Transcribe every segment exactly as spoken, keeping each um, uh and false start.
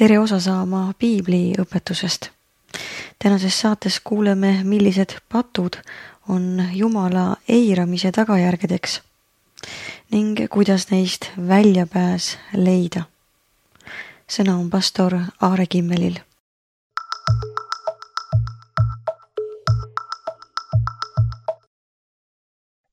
tere osa saama Piibli õpetusest. Tänases saates kuuleme, millised patud on Jumala eiramise tagajärgedeks ning kuidas neist väljapääs leida. Sõna on pastor Aare Kimmelil.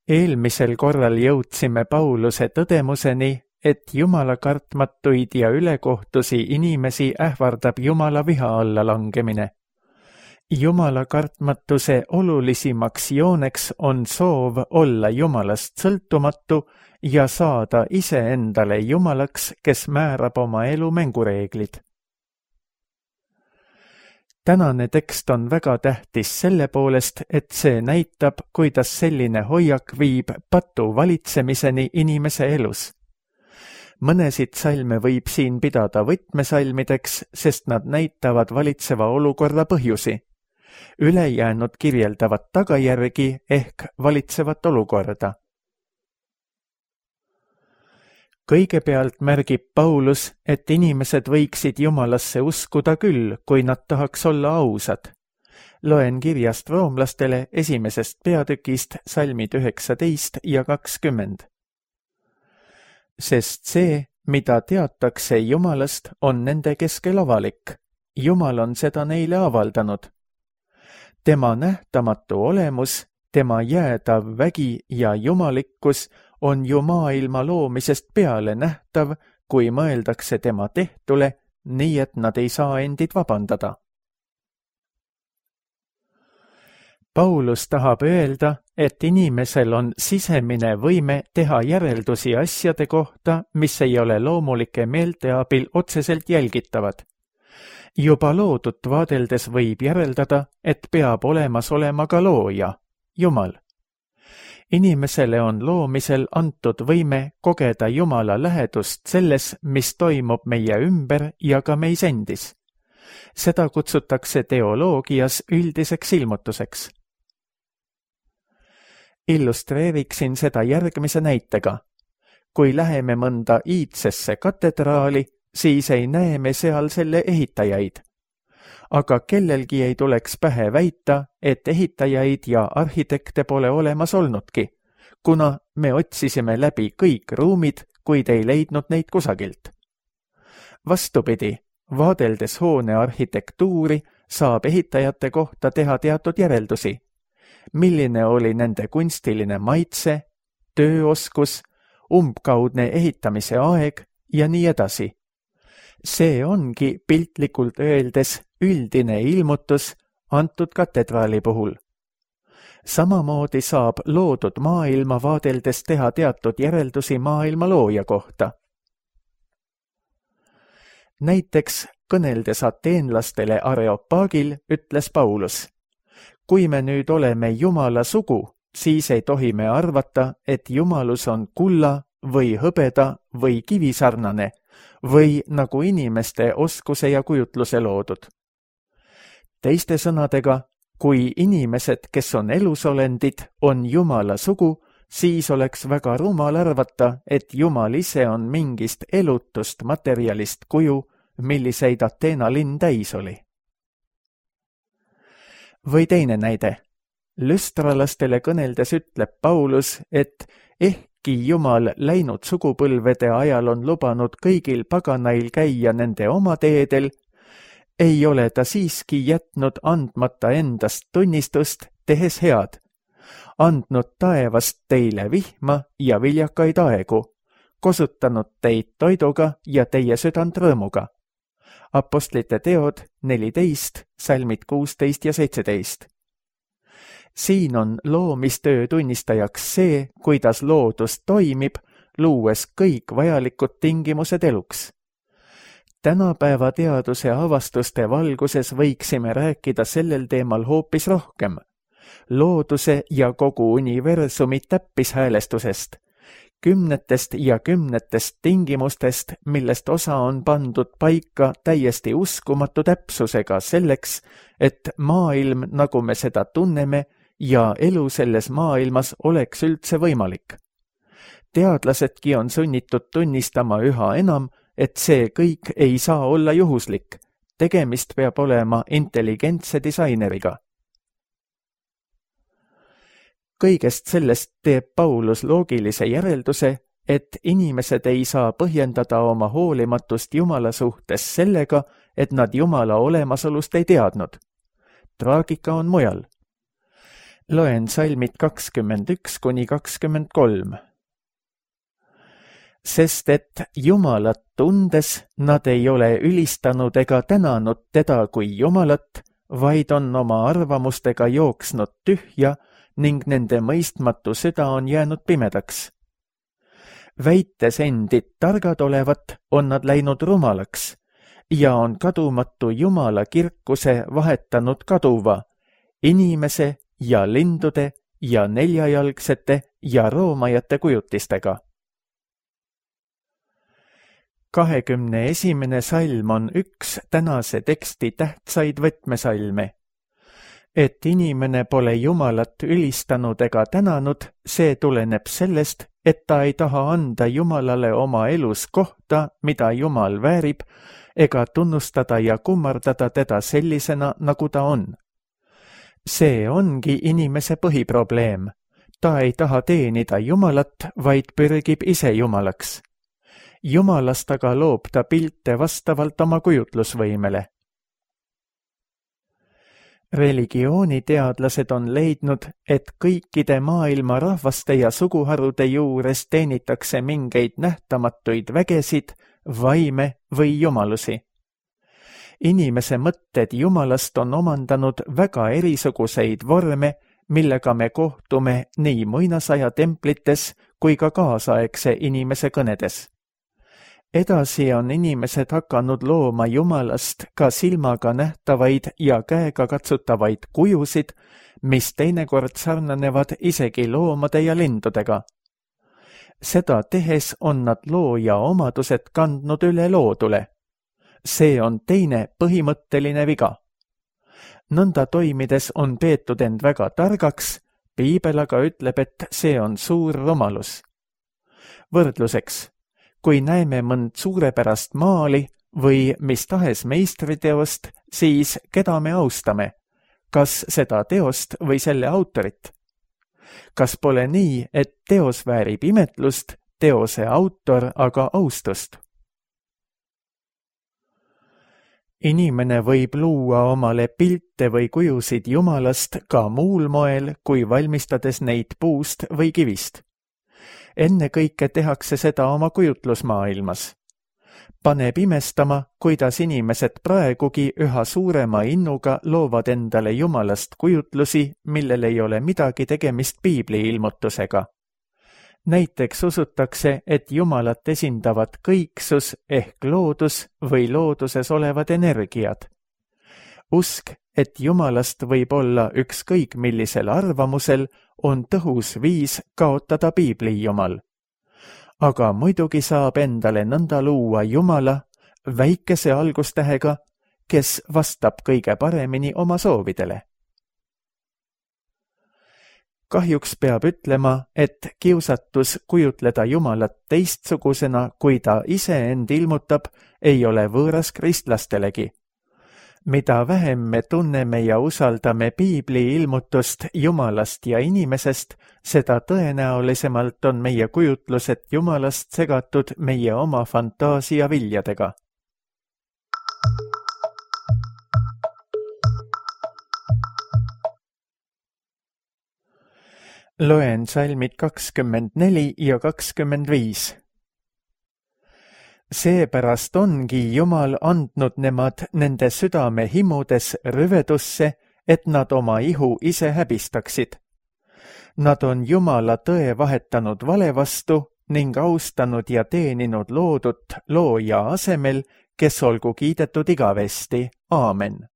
Eelmisel korral jõudsime Pauluse tõdemuseni, et Jumala kartmatuid ja ülekohtusi inimesi ähvardab Jumala viha alla langemine. Jumala kartmatuse olulisimaks jooneks on soov olla Jumalast sõltumatu ja saada iseendale Jumalaks, kes määrab oma elu mängureeglid. Tänane tekst on väga tähtis selle poolest, et see näitab, kuidas selline hoiak viib patu valitsemiseni inimese elus. Mõnesid salme võib siin pidada võtmesalmideks, sest nad näitavad valitseva olukorra põhjusi. Ülejäänud kirjeldavad tagajärgi ehk valitsevat olukorda. Kõigepealt märgib Paulus, et inimesed võiksid Jumalasse uskuda küll, kui nad tahaks olla ausad. Loen kirjast roomlastele esimesest peatükist salmid üheksateist ja kakskümmend. Sest see, mida teatakse Jumalast, on nende keskel avalik. Jumal on seda neile avaldanud. Tema nähtamatu olemus, tema jäädav vägi ja jumalikkus on ju maailma loomisest peale nähtav, kui mõeldakse tema tehtule, nii et nad ei saa endid vabandada. Paulus tahab öelda, et inimesel on sisemine võime teha järeldusi asjade kohta, mis ei ole loomulike meelte abil otseselt jälgitavad. Juba loodut vaadeldes võib järeldada, et peab olemas olema ka looja, Jumal. Inimesele on loomisel antud võime kogeda Jumala lähedust selles, mis toimub meie ümber ja ka meis endis. Seda kutsutakse teoloogias üldiseks ilmutuseks. Illustreeriksin seda järgmise näitega. Kui läheme mõnda iidsesse katedraali, siis ei näe me seal selle ehitajaid. Aga kellelgi ei tuleks pähe väita, et ehitajaid ja arhitekte pole olemas olnudki, kuna me otsisime läbi kõik ruumid, kuid ei leidnud neid kusagilt. Vastupidi, vaadeldes hoone arhitektuuri, saab ehitajate kohta teha teatud järeldusi. Milline oli nende kunstiline maitse, tööoskus, umbkaudne ehitamise aeg ja nii edasi. See ongi piltlikult öeldes üldine ilmutus antud katedraali puhul. Samamoodi saab loodud maailma vaadeldes teha teatud järeldusi maailma looja kohta. Näiteks kõneldes ateenlastele Areopagil ütles Paulus: kui me nüüd oleme Jumala sugu, siis ei tohi me arvata, et Jumalus on kulla või hõbeda või kivisarnane või nagu inimeste oskuse ja kujutluse loodud. Teiste sõnadega, kui inimesed, kes on elusolendid, on Jumala sugu, siis oleks väga rumal arvata, et Jumal ise on mingist elutust materjalist kuju, milliseid Ateena linn täis oli. Või teine näide. Lüstralastele kõneldes ütleb Paulus, et ehkki Jumal läinud sugupõlvede ajal on lubanud kõigil paganail käia nende oma teedel, ei ole ta siiski jätnud andmata endast tunnistust, tehes head, andnud taevast teile vihma ja viljakaid aegu, kosutanud teid toiduga ja teie südant rõõmuga. Apostlite teod neliteist, salmid kuusteist ja seitseteist. Siin on loomistöö tunnistajaks see, kuidas loodus toimib, luues kõik vajalikud tingimused eluks. Tänapäeva teaduse avastuste valguses võiksime rääkida sellel teemal hoopis rohkem. Looduse ja kogu universumi täppishäälestusest, kümnetest ja kümnetest tingimustest, millest osa on pandud paika täiesti uskumatu täpsusega selleks, et maailm, nagu me seda tunneme, ja elu selles maailmas oleks üldse võimalik. Teadlasedki on sunnitud tunnistama üha enam, et see kõik ei saa olla juhuslik. Tegemist peab olema intelligentse disaineriga. Kõigest sellest teeb Paulus loogilise järelduse, et inimesed ei saa põhjendada oma hoolimatust Jumala suhtes sellega, et nad Jumala olemasolust ei teadnud. Traagika on mujal. Loen salmid kakskümmend üks kuni kakskümmend kolm. Sest et Jumalat tundes nad ei ole ülistanud ega tänanud teda kui Jumalat, vaid on oma arvamustega jooksnud tühja ning nende mõistmatu süda on jäänud pimedaks. Väites endid targad olevat, on nad läinud rumalaks ja on kadumatu Jumala kirkuse vahetanud kaduva, inimese ja lindude ja neljajalgsete ja roomajate kujutistega. kahekümne esimene salm on üks tänase teksti tähtsaid võtmesalme. Et inimene pole Jumalat ülistanud ega tänanud, see tuleneb sellest, et ta ei taha anda Jumalale oma elus kohta, mida Jumal väärib, ega tunnustada ja kummardada teda sellisena, nagu ta on. See ongi inimese põhiprobleem. Ta ei taha teenida Jumalat, vaid pürgib ise Jumalaks. Jumalast aga loob ta pilte vastavalt oma kujutlusvõimele. Religiooniteadlased on leidnud, et kõikide maailma rahvaste ja suguharude juures teenitakse mingeid nähtamatuid vägesid, vaime või jumalusi. Inimese mõtted Jumalast on omandanud väga erisuguseid vorme, millega me kohtume nii muinasaja templites kui ka kaasaegse inimese kõnedes. Edasi on inimesed hakanud looma Jumalast ka silmaga nähtavaid ja käega katsutavaid kujusid, mis teinekord sarnanevad isegi loomade ja lindudega. Seda tehes on nad looja omadused kandnud üle loodule. See on teine põhimõtteline viga. Nõnda toimides on peetud end väga targaks, Piibel aga ütleb, et see on suur rumalus. Võrdluseks, kui näeme mõnd suurepärast maali või mis tahes meistriteost, siis keda me austame? Kas seda teost või selle autorit? Kas pole nii, et teos väärib imetlust, teose autor aga austust? Inimene võib luua omale pilte või kujusid Jumalast ka muul moel, kui valmistades neid puust või kivist. Enne kõike tehakse seda oma kujutlusmaailmas. Paneb imestama, kuidas inimesed praegugi üha suurema innuga loovad endale Jumalast kujutlusi, millel ei ole midagi tegemist Piibli ilmutusega. Näiteks usutakse, et Jumalat esindavad kõiksus ehk loodus või looduses olevad energiad. Usk, et Jumalast võib olla ükskõik millisel arvamusel, on tõhus viis kaotada Piibli Jumal. Aga muidugi saab endale nõnda luua Jumala väikese algustähega, kes vastab kõige paremini oma soovidele. Kahjuks peab ütlema, et kiusatus kujutleda Jumalat teistsugusena, kui ta ise end ilmutab, ei ole võõras kristlastelegi. Mida vähem me tunneme ja usaldame Piibli ilmutust Jumalast ja inimesest, seda tõenäolisemalt on meie kujutlused Jumalast segatud meie oma fantaasia viljadega. Loen salmid kakskümmend neli ja kakskümmend viis. Seepärast ongi Jumal andnud nemad nende südame himudes rüvedusse, et nad oma ihu ise häbistaksid. Nad on Jumala tõe vahetanud vale vastu ning austanud ja teeninud loodut looja asemel, kes olgu kiidetud igavesti. Aamen.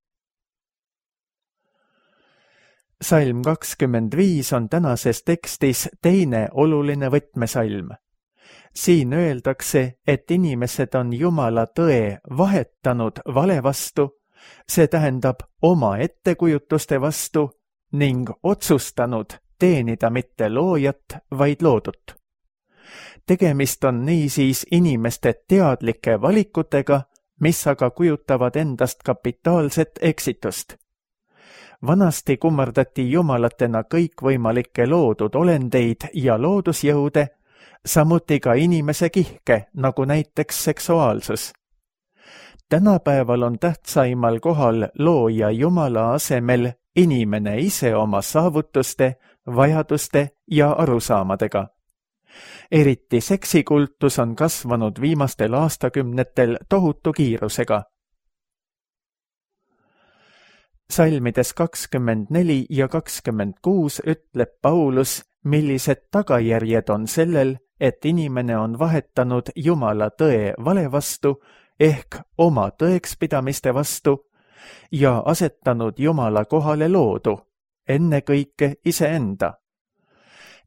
Salm kakskümmend viis on tänases tekstis teine oluline võtmesalm. Siin öeldakse, et inimesed on Jumala tõe vahetanud vale vastu, see tähendab oma ettekujutuste vastu ning otsustanud teenida mitte loojat, vaid loodut. tegemist on niisiis inimeste teadlike valikutega, mis aga kujutavad endast kapitaalset eksitust. Vanasti kummardati jumalatena kõikvõimalikke loodud olendeid ja loodusjõude, samuti ka inimese kihke, nagu näiteks seksuaalsus. Tänapäeval on tähtsaimal kohal looja Jumala asemel inimene ise oma saavutuste, vajaduste ja arusaamadega. Eriti seksikultus on kasvanud viimastel aastakümnetel tohutu kiirusega. Salmides kakskümmend neli ja kakskümmend kuus ütleb Paulus, millised tagajärjed on sellel, et inimene on vahetanud Jumala tõe vale vastu ehk oma tõekspidamiste vastu ja asetanud Jumala kohale loodu, ennekõike iseenda.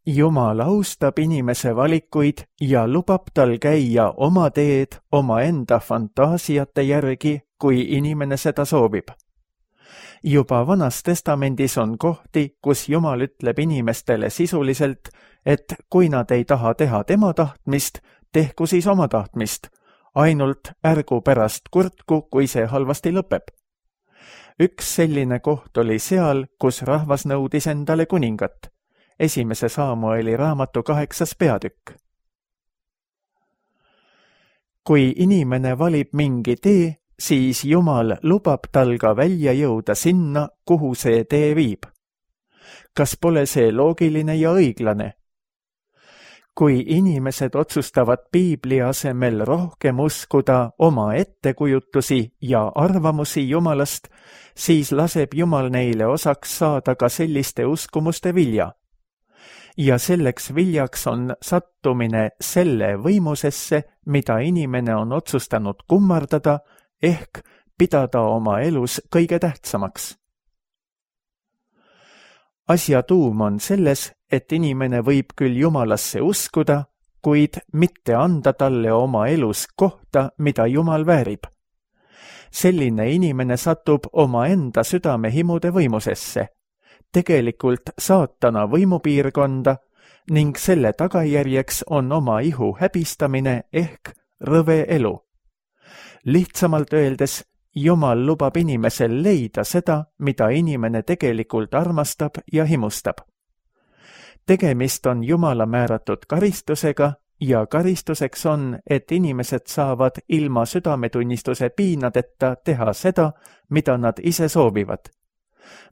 Jumal austab inimese valikuid ja lubab tal käia oma teed omaenda fantaasiate järgi, kui inimene seda soovib. Juba Vanas Testamendis on kohti, kus Jumal ütleb inimestele sisuliselt, et kui nad ei taha teha tema tahtmist, tehku siis oma tahtmist, ainult ärgu pärast kurtku, kui see halvasti lõpeb. Üks selline koht oli seal, kus rahvas nõudis endale kuningat. Esimese Saamueli raamatu kaheksas peatükk. Kui inimene valib mingi tee, siis Jumal lubab tal ka välja jõuda sinna, kuhu see tee viib. Kas pole see loogiline ja õiglane? Kui inimesed otsustavad Piibli asemel rohkem uskuda oma ettekujutusi ja arvamusi Jumalast, siis laseb Jumal neile osaks saada ka selliste uskumuste vilja. Ja selleks viljaks on sattumine selle võimusesse, mida inimene on otsustanud kummardada, ehk pidada oma elus kõige tähtsamaks. Asja tuum on selles, et inimene võib küll Jumalasse uskuda, kuid mitte anda talle oma elus kohta, mida Jumal väärib. Selline inimene satub oma enda südamehimude võimusesse, tegelikult saatana võimupiirkonda ning selle tagajärjeks on oma ihu häbistamine ehk rõve elu. Lihtsamalt öeldes, Jumal lubab inimesel leida seda, mida inimene tegelikult armastab ja himustab. Tegemist on Jumala määratud karistusega ja karistuseks on, et inimesed saavad ilma südametunnistuse piinadeta teha seda, mida nad ise soovivad.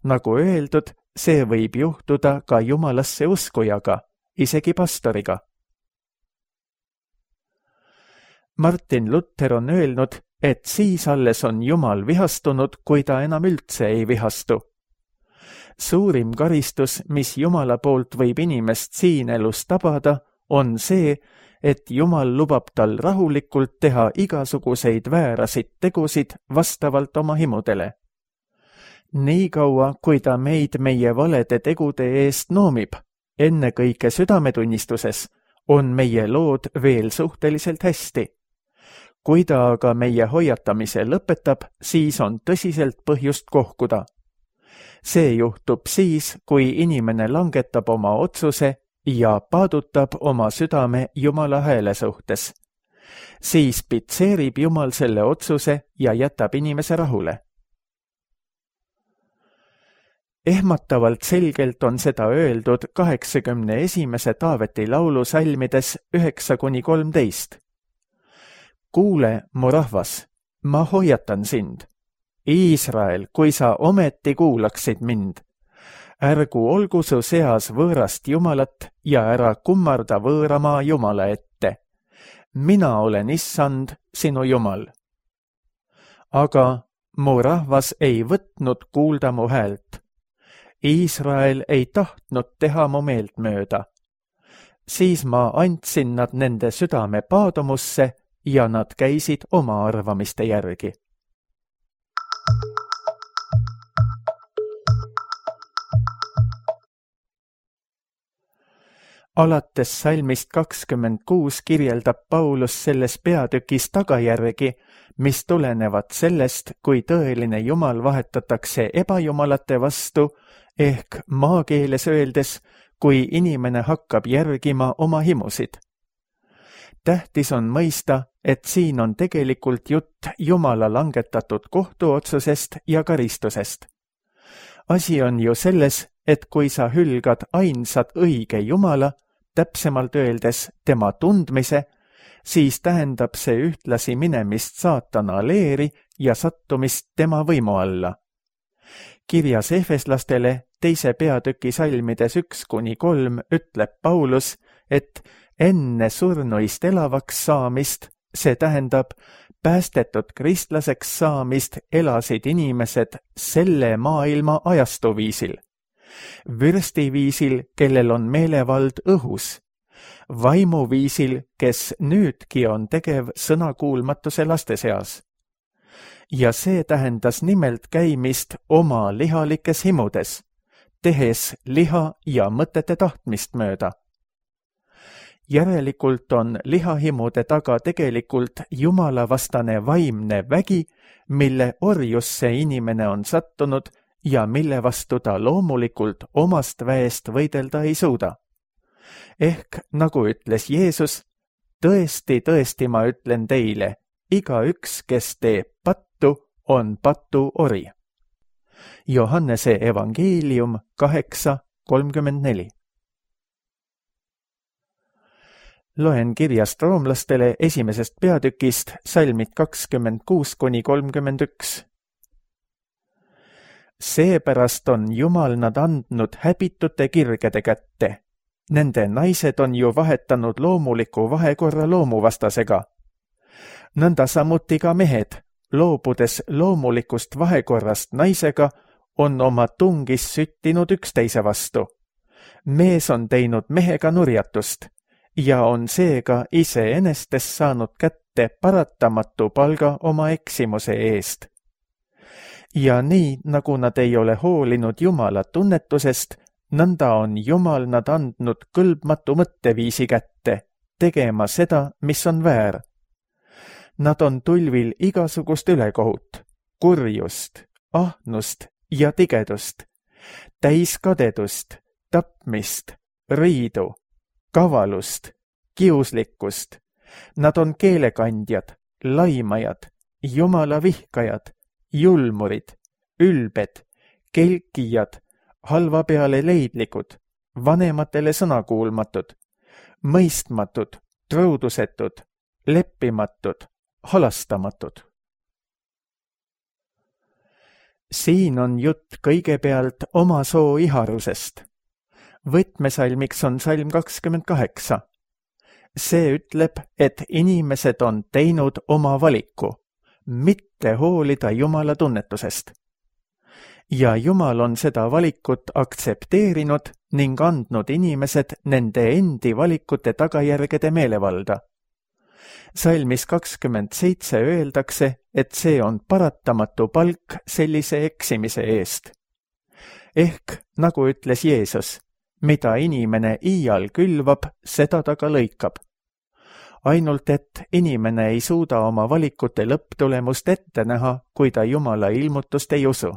Nagu öeldud, see võib juhtuda ka Jumalasse uskujaga, isegi pastoriga. Martin Luther on öelnud, et siis alles on Jumal vihastunud, kui ta enam üldse ei vihastu. Suurim karistus, mis Jumala poolt võib inimest siin elus tabada, on see, et Jumal lubab tal rahulikult teha igasuguseid väärasid tegusid vastavalt oma himudele. Nii kaua, kui ta meid meie valede tegude eest noomib, ennekõike südametunnistuses, on meie lood veel suhteliselt hästi. Kui ta aga meie hoiatamise lõpetab, siis on tõsiselt põhjust kohkuda. See juhtub siis, kui inimene langetab oma otsuse ja paadutab oma südame Jumala hääle suhtes. Siis pitseerib Jumal selle otsuse ja jätab inimese rahule. Ehmatavalt selgelt on seda öeldud kaheksakümne esimese Taaveti laulu salmides üheksa kuni kolmteist. Kuule, mu rahvas, ma hoiatan sind. Iisrael, kui sa ometi kuulaksid mind. Ärgu olgu su seas võõrast Jumalat ja ära kummarda võõramaa Jumala ette. Mina olen issand, sinu Jumal. Aga mu rahvas ei võtnud kuulda mu häält. Iisrael ei tahtnud teha mu meelt mööda. Siis ma andsin nad nende südame paadumusse ja nad käisid oma arvamiste järgi. Alates salmist kakskümmend kuus kirjeldab Paulus selles peatükis tagajärgi, mis tulenevad sellest, kui tõeline Jumal vahetatakse ebajumalate vastu, ehk maakeeles öeldes, kui inimene hakkab järgima oma himusid. tähtis on mõista, et siin on tegelikult jutt Jumala langetatud kohtuotsusest ja karistusest. Asi on ju selles, et kui sa hülgad ainsad õige Jumala, täpsemalt öeldes tema tundmise, siis tähendab see ühtlasi minemist saatana leeri ja sattumist tema võimu alla. Kirjas Efeslastele teise peatüki salmides üks kuni kolm ütleb Paulus, et enne surnuist elavaks saamist, see tähendab päästetud kristlaseks saamist, elasid inimesed selle maailma ajastuviisil. Vürstiviisil, kellel on meelevald õhus. Vaimuviisil, kes nüüdki on tegev sõnakuulmatuse laste seas. Ja see tähendas nimelt käimist oma lihalikes himudes, tehes liha ja mõtete tahtmist mööda. Järelikult on lihahimude taga tegelikult jumalavastane vaimne vägi, mille orjusse inimene on sattunud ja mille vastu ta loomulikult omast väest võidelda ei suuda. Ehk, nagu ütles Jeesus, tõesti, tõesti ma ütlen teile, igaüks, kes teeb pattu, on patu ori. Johannese evangeelium kaheksa kolmkümmend neli. Loen kirjast roomlastele esimesest peatükist salmid kakskümmend kuus kuni kolmkümmend üks. Seepärast on Jumal nad andnud häbitute kirgede kätte. Nende naised on ju vahetanud loomuliku vahekorra loomuvastasega. Nõnda samuti ka mehed, loobudes loomulikust vahekorrast naisega, on oma tungis süttinud üksteise vastu. Mees on teinud mehega nurjatust ja on seega iseenestes saanud kätte paratamatu palga oma eksimuse eest. Ja nii, nagu nad ei ole hoolinud Jumala tunnetusest, nõnda on Jumal nad andnud kõlbmatu mõtteviisi kätte, tegema seda, mis on väär. Nad on tulvil igasugust ülekohut, kurjust, ahnust ja tigedust, täis kadedust, tapmist, riidu, kavalust, kiuslikkust. Nad on keelekandjad, laimajad, Jumala vihkajad, julmurid, ülbed, kelkijad, halva peale leidlikud, vanematele sõnakuulmatud, mõistmatud, truudusetud, leppimatud, halastamatud. Siin on jutt kõigepealt oma soo iharusest. Võtmesalmiks on salm kakskümmend kaheksa. See ütleb, et inimesed on teinud oma valiku, mitte hoolida Jumala tunnetusest. Ja Jumal on seda valikut aktsepteerinud ning andnud inimesed nende endi valikute tagajärgede meelevalda. Salmis kakskümmend seitse öeldakse, et see on paratamatu palk sellise eksimise eest. Ehk, nagu ütles Jeesus, mida inimene iial külvab, seda ta ka lõikab. Ainult, et inimene ei suuda oma valikute lõpptulemust ette näha, kui ta Jumala ilmutust ei usu.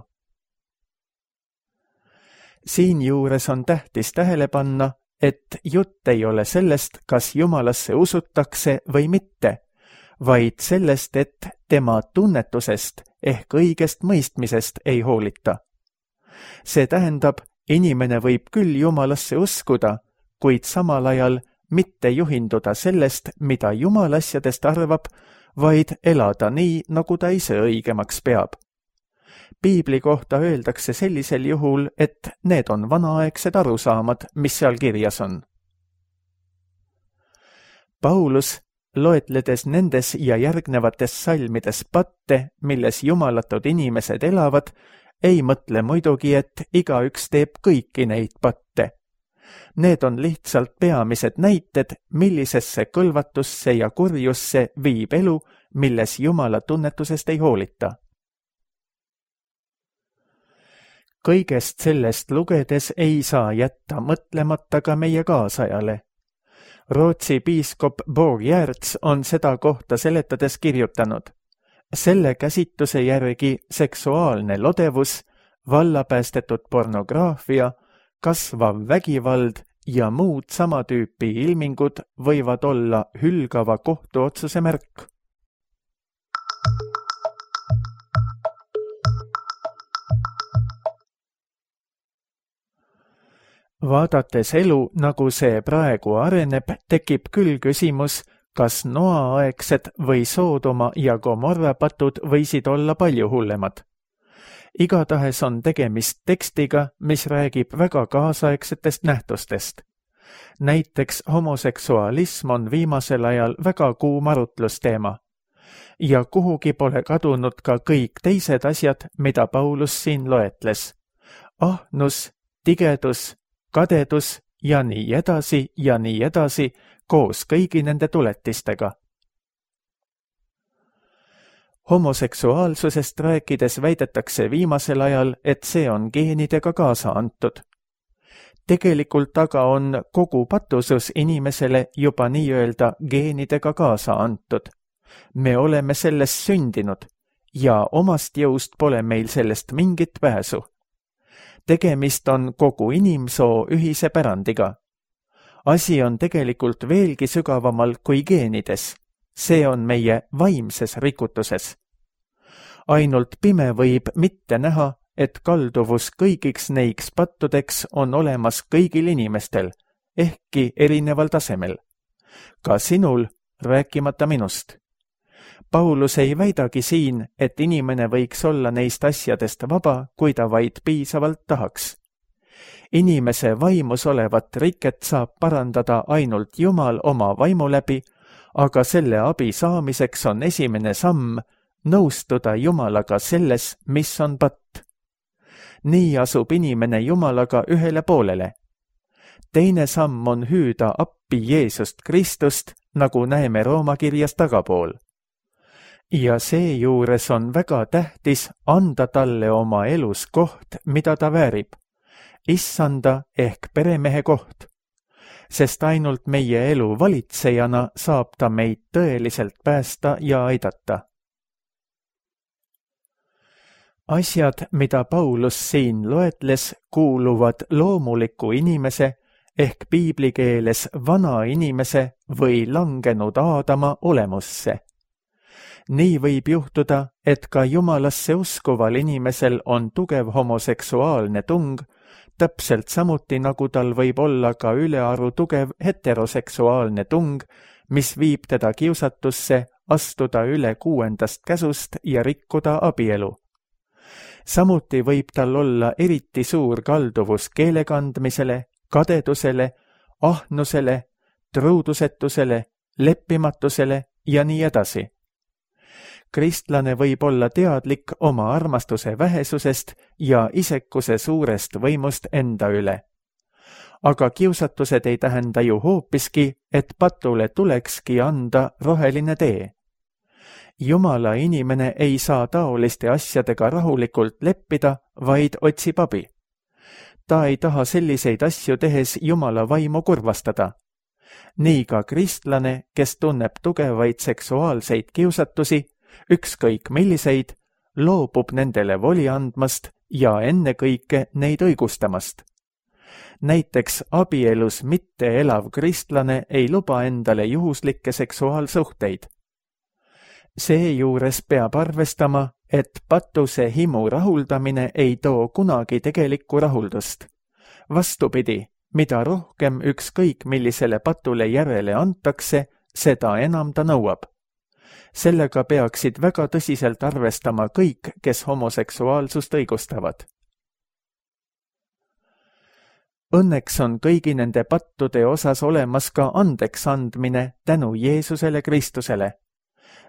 Siinjuures on tähtis tähele panna, et jutt ei ole sellest, kas Jumalasse usutakse või mitte, vaid sellest, et tema tunnetusest ehk õigest mõistmisest ei hoolita. See tähendab, inimene võib küll Jumalasse uskuda, kuid samal ajal mitte juhinduda sellest, mida Jumal asjadest arvab, vaid elada nii, nagu ta ise õigemaks peab. Piibli kohta öeldakse sellisel juhul, et need on vanaaegsed arusaamad, mis seal kirjas on. Paulus, loetledes nendes ja järgnevates salmides patte, milles jumalatud inimesed elavad, ei mõtle muidugi, et igaüks teeb kõiki neid patte. Need on lihtsalt peamised näited, millisesse kõlvatusse ja kurjusse viib elu, milles Jumala tunnetusest ei hoolita. Kõigest sellest lugedes ei saa jätta mõtlemata ka meie kaasajale. Rootsi piiskop Bo Giertz on seda kohta seletades kirjutanud. Selle käsitluse järgi seksuaalne lodevus, vallapäästetud pornograafia, kasvav vägivald ja muud sama tüüpi ilmingud võivad olla hülgava kohtuotsuse märk. Vaadates elu, nagu see praegu areneb, tekib küll küsimus, kas Noa-aegsed või Soodoma ja Gomorra patud võisid olla palju hullemad. Igatahes on tegemist tekstiga, mis räägib väga kaasaegsetest nähtustest. Näiteks homoseksualism on viimasel ajal väga kuum arutlusteema. Ja kuhugi pole kadunud ka kõik teised asjad, mida Paulus siin loetles. Ahnus, tigedus, kadedus ja nii edasi ja nii edasi koos kõigi nende tuletistega. Homoseksuaalsusest rääkides väidetakse viimasel ajal, et see on geenidega kaasa antud. Tegelikult aga on kogu patusus inimesele juba nii-öelda geenidega kaasa antud. Me oleme sellest sündinud ja omast jõust pole meil sellest mingit pääsu. Tegemist on kogu inimsoo ühise pärandiga. Asi on tegelikult veelgi sügavamal kui geenides. See on meie vaimses rikutuses. Ainult pime võib mitte näha, et kalduvus kõigiks neiks pattudeks on olemas kõigil inimestel, ehkki erineval tasemel. Ka sinul, rääkimata minust. Paulus ei väidagi siin, et inimene võiks olla neist asjadest vaba, kui ta vaid piisavalt tahaks. Inimese vaimus olevat riket saab parandada ainult Jumal oma vaimu läbi, aga selle abi saamiseks on esimene samm nõustuda Jumalaga selles, mis on patt. Nii asub inimene Jumalaga ühele poolele. Teine samm on hüüda appi Jeesust Kristust, nagu näeme Rooma kirjas tagapool. Ja seejuures on väga tähtis anda talle oma elus koht, mida ta väärib. Issanda ehk peremehe koht. Sest ainult meie elu valitsejana saab ta meid tõeliselt päästa ja aidata. Asjad, mida Paulus siin loetles, kuuluvad loomuliku inimese ehk piiblikeeles vana inimese või langenud Aadama olemusse. Nii võib juhtuda, et ka Jumalasse uskuval inimesel on tugev homoseksuaalne tung, täpselt samuti nagu tal võib olla ka ülearu tugev heteroseksuaalne tung, mis viib teda kiusatusse astuda üle kuuendast käsust ja rikkuda abielu. Samuti võib tal olla eriti suur kalduvus keelekandmisele, kadedusele, ahnusele, truudusetusele, leppimatusele ja nii edasi. Kristlane võib olla teadlik oma armastuse vähesusest ja isekuse suurest võimust enda üle. Aga kiusatused ei tähenda ju hoopiski, et patule tulekski anda roheline tee. Jumala inimene ei saa taoliste asjadega rahulikult leppida, vaid otsib abi. Ta ei taha selliseid asju tehes Jumala vaimu kurvastada. Nii ka kristlane, kes tunneb tugevaid seksuaalseid kiusatusi, ükskõik milliseid, loobub nendele voli andmast ja ennekõike neid õigustamast. Näiteks abielus mitte elav kristlane ei luba endale juhuslikke seksuaalsuhteid. Seejuures peab arvestama, et patuse himu rahuldamine ei too kunagi tegelikku rahuldust. Vastupidi, mida rohkem ükskõik millisele patule järele antakse, seda enam ta nõuab. Sellega peaksid väga tõsiselt arvestama kõik, kes homoseksuaalsust õigustavad. Õnneks on kõigi nende pattude osas olemas ka andeks andmine tänu Jeesusele Kristusele.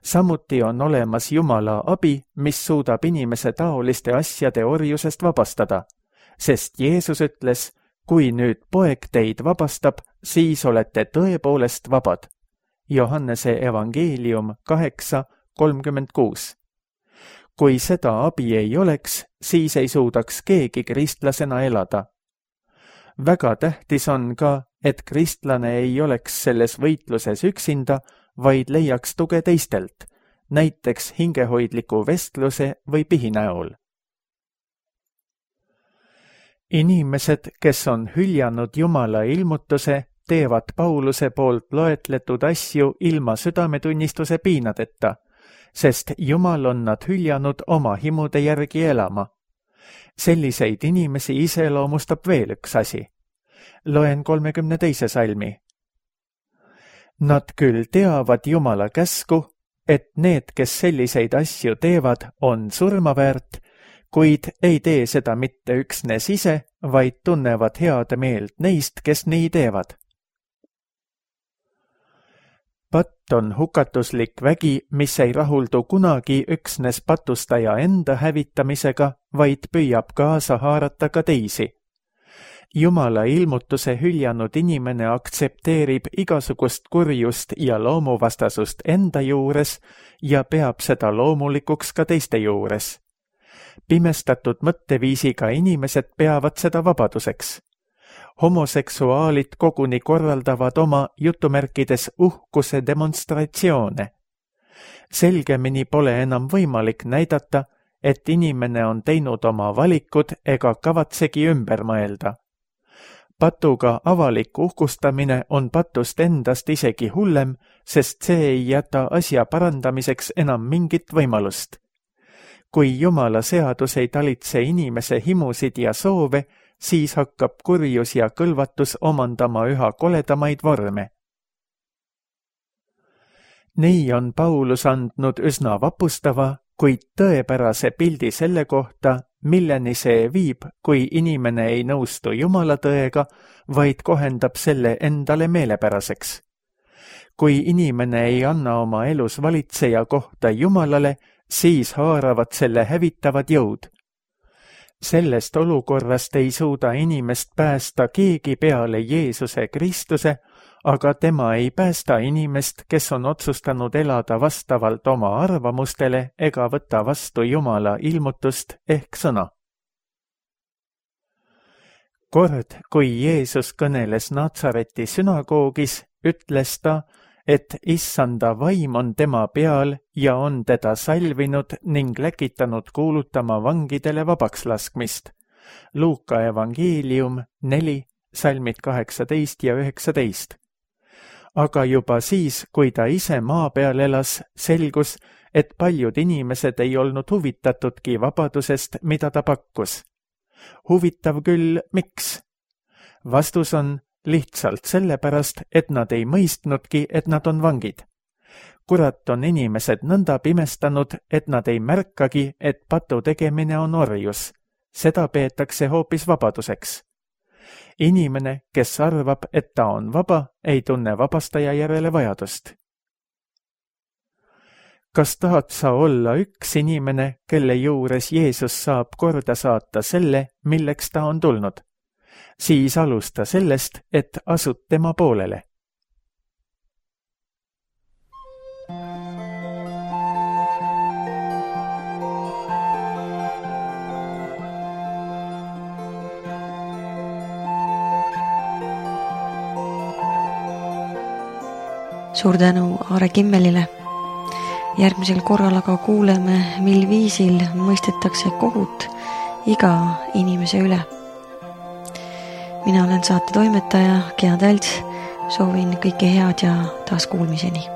Samuti on olemas Jumala abi, mis suudab inimese taoliste asjade orjusest vabastada, sest Jeesus ütles, kui nüüd poeg teid vabastab, siis olete tõepoolest vabad. Johannese evangeelium kaheksa kolmkümmend kuus. Kui seda abi ei oleks, siis ei suudaks keegi kristlasena elada. Väga tähtis on ka, et kristlane ei oleks selles võitluses üksinda, vaid leiaks tuge teistelt, näiteks hingehoidliku vestluse või pihi näol. Inimesed, kes on hüljanud Jumala ilmutuse, teevad Pauluse poolt loetletud asju ilma südametunnistuse piinadeta, sest Jumal on nad hüljanud oma himude järgi elama. Selliseid inimesi iseloomustab veel üks asi. Loen kolmekümne teise salmi. Nad küll teavad Jumala käsku, et need, kes selliseid asju teevad, on surmaväärt, kuid ei tee seda mitte üksnes ise, vaid tunnevad head meelt neist, kes nii teevad. Patt on hukatuslik vägi, mis ei rahuldu kunagi üksnes patustaja enda hävitamisega, vaid püüab kaasa haarata ka teisi. Jumala ilmutuse hüljanud inimene aktsepteerib igasugust kurjust ja loomuvastasust enda juures ja peab seda loomulikuks ka teiste juures. Pimestatud mõtteviisiga inimesed peavad seda vabaduseks. Homoseksuaalid koguni korraldavad oma jutumärkides uhkuse demonstratsioone. Selgemini pole enam võimalik näidata, et inimene on teinud oma valikud ega kavatsegi ümber mõelda. Patuga avalik uhkustamine on patust endast isegi hullem, sest see ei jäta asja parandamiseks enam mingit võimalust. Kui Jumala seadus ei talitse inimese himusid ja soove, siis hakkab kurjus ja kõlvatus omandama üha koledamaid vorme. Nii on Paulus andnud üsna vapustava, kuid tõepärase pildi selle kohta, milleni see viib, kui inimene ei nõustu Jumala tõega, vaid kohendab selle endale meelepäraseks. Kui inimene ei anna oma elus valitseja kohta Jumalale, siis haaravad selle hävitavad jõud. Sellest olukorrast ei suuda inimest päästa keegi peale Jeesuse Kristuse, aga tema ei päästa inimest, kes on otsustanud elada vastavalt oma arvamustele ega võtta vastu Jumala ilmutust ehk sõna. Kord, kui Jeesus kõneles Natsareti sünagoogis, ütles ta, et issanda vaim on tema peal ja on teda salvinud ning läkitanud kuulutama vangidele vabaks laskmist. Luuka evangeelium neli, salmid kaheksateist ja üheksateist. Aga juba siis, kui ta ise maa peal elas, selgus, et paljud inimesed ei olnud huvitatudki vabadusest, mida ta pakkus. Huvitav küll, miks? Vastus on lihtsalt sellepärast, et nad ei mõistnudki, et nad on vangid. Kurat on inimesed nõnda pimestanud, et nad ei märkagi, et patu tegemine on orjus. Seda peetakse hoopis vabaduseks. Inimene, kes arvab, et ta on vaba, ei tunne vabastaja järele vajadust. Kas tahad sa olla üks inimene, kelle juures Jeesus saab korda saata selle, milleks ta on tulnud? Siis alusta sellest, et asud tema poolele. Suur tänu Aare Kimmelile. Järgmisel korral aga kuuleme, mil viisil mõistetakse kohut iga inimese üle. Mina olen saate toimetaja Gea Tälts, soovin kõike head ja taas kuulmiseni.